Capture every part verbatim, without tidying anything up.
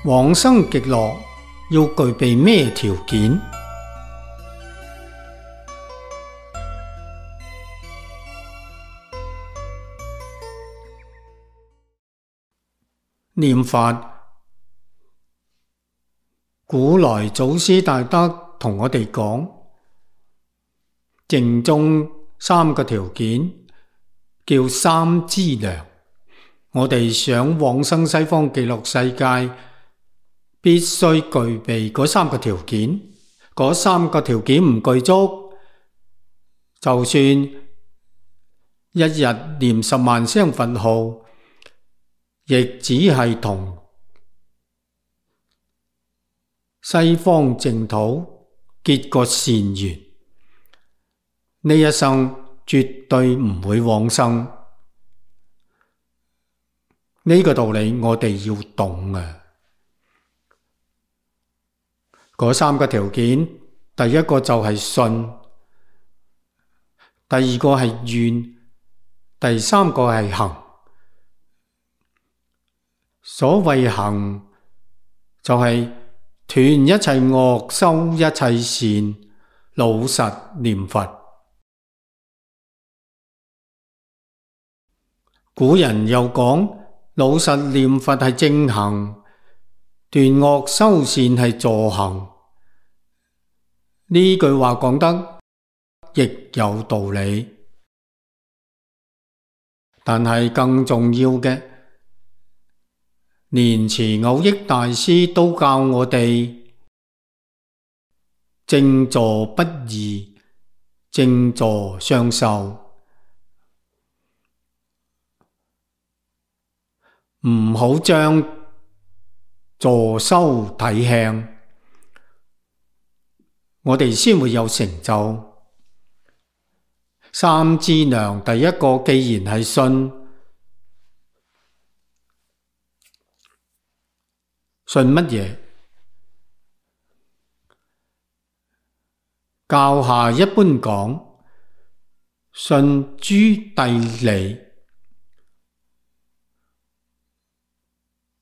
往生極樂要具備咩條件？念佛，古來祖師大德同我哋講，淨宗三個條件叫三資糧。我哋想往生西方極樂世界，必須具備嗰三個條件。嗰三個條件唔具足，就算一日念十萬聲佛號，亦只係同西方淨土結個善緣，呢一生絕對唔會往生。呢個道理我哋要懂啊！嗰三個條件，第一個就係信，第二個係願，第三個係行。所謂行，就係斷一切惡，修一切善，老實念佛。古人又講，老實念佛係正行，斷惡修善係助行。呢句話講得亦有道理，但係更重要嘅，蓮池藕益大師都教我哋正坐不二，正坐雙修。唔好將坐修睇輕，我哋先會有成就。三資糧第一個既然係信，信乜嘢？教下一般講，信諸諦理。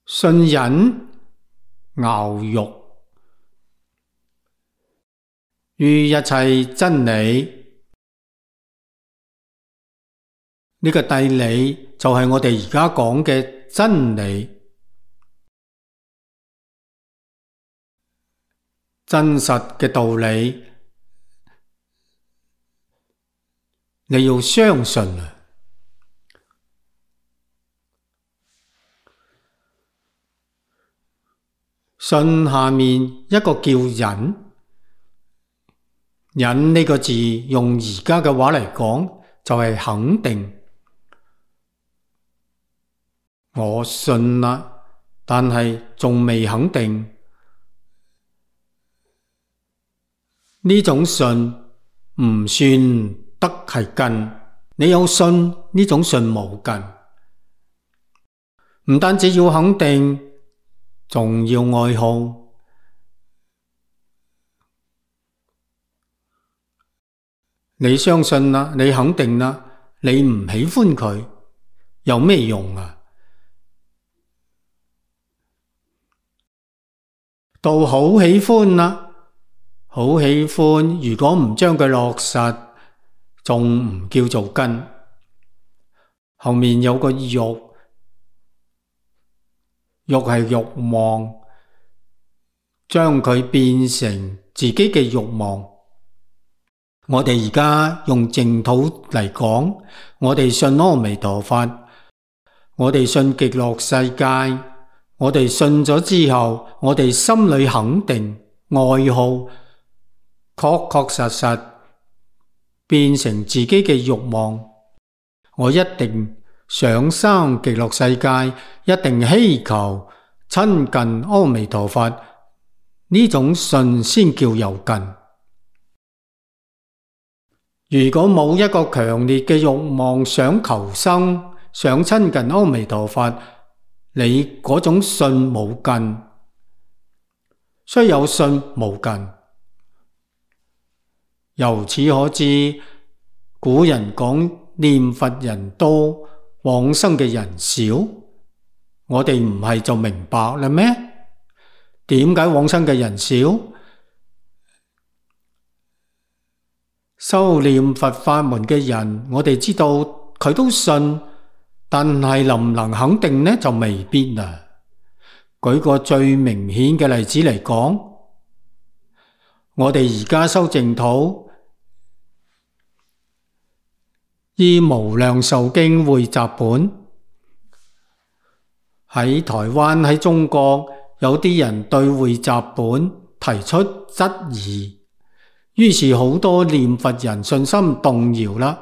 信忍熬肉於一切真理，呢個諦理就係我哋而家講嘅真理，真實嘅道理，你要相信啊！信下面一個叫忍，忍呢個字用而家嘅話嚟講，就係肯定。我信啦，但係仲未肯定。呢種信唔算得係根，你有信，呢種信冇根。唔單止要肯定，仲要愛好。你相信啦，你肯定啦，你唔喜歡佢，有咩用啊？到好喜歡啦，好喜歡，如果唔將佢落實，仲唔叫做根。後面有個欲，欲係欲望，將佢變成自己嘅欲望。我哋而家用淨土嚟講，我哋信阿彌陀佛，我哋信極樂世界，我哋信咗之後，我哋心裏肯定愛好，確確實實變成自己嘅欲望。我一定想生極樂世界，一定希求親近阿彌陀佛，呢種信先叫有根。如果冇一個強烈嘅欲望，想求生，想親近阿彌陀佛，你嗰種信冇根，雖有信冇根。由此可知，古人講念佛人多，往生嘅人少，我哋唔係就明白啦咩？點解往生嘅人少？修煉佛法門嘅人，我哋知道佢都信，但係能唔能肯定呢？就未必啦。舉個最明顯嘅例子嚟講，我哋而家修淨土，依無量壽經匯集本，喺台灣喺中國有啲人對匯集本提出質疑，於是好多念佛人信心動搖啦。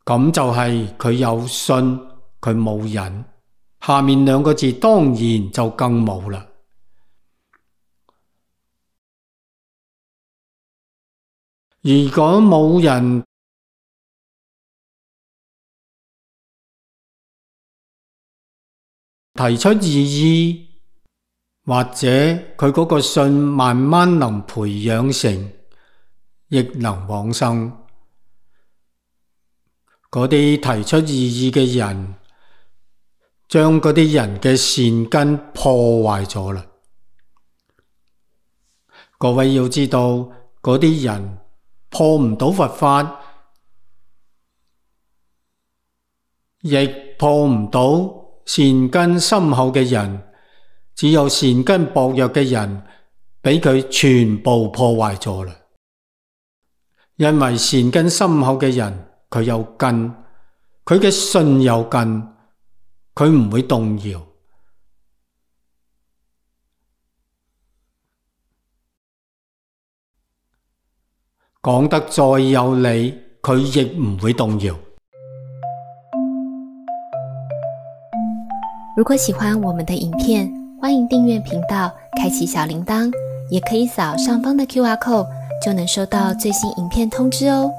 咁就係佢有信，佢冇忍，下面兩個字當然就更冇啦。如果冇人提出異議，或者佢嗰個信慢慢能培養成，亦能往生。嗰啲提出異議嘅人，將嗰啲人嘅善根破壞咗啦。各位要知道，嗰啲人破唔到佛法，亦破唔到善根深厚嘅人，只有善根薄弱嘅人俾佢全部破壞咗啦。因為善根深厚嘅人，佢有根，佢嘅信有根，佢唔會動搖。講得再有理，佢亦唔會動搖。如果喜歡我們的影片，歡迎訂閱頻道，開啟小鈴鐺，也可以掃上方的 Q R code，就能收到最新影片通知哦。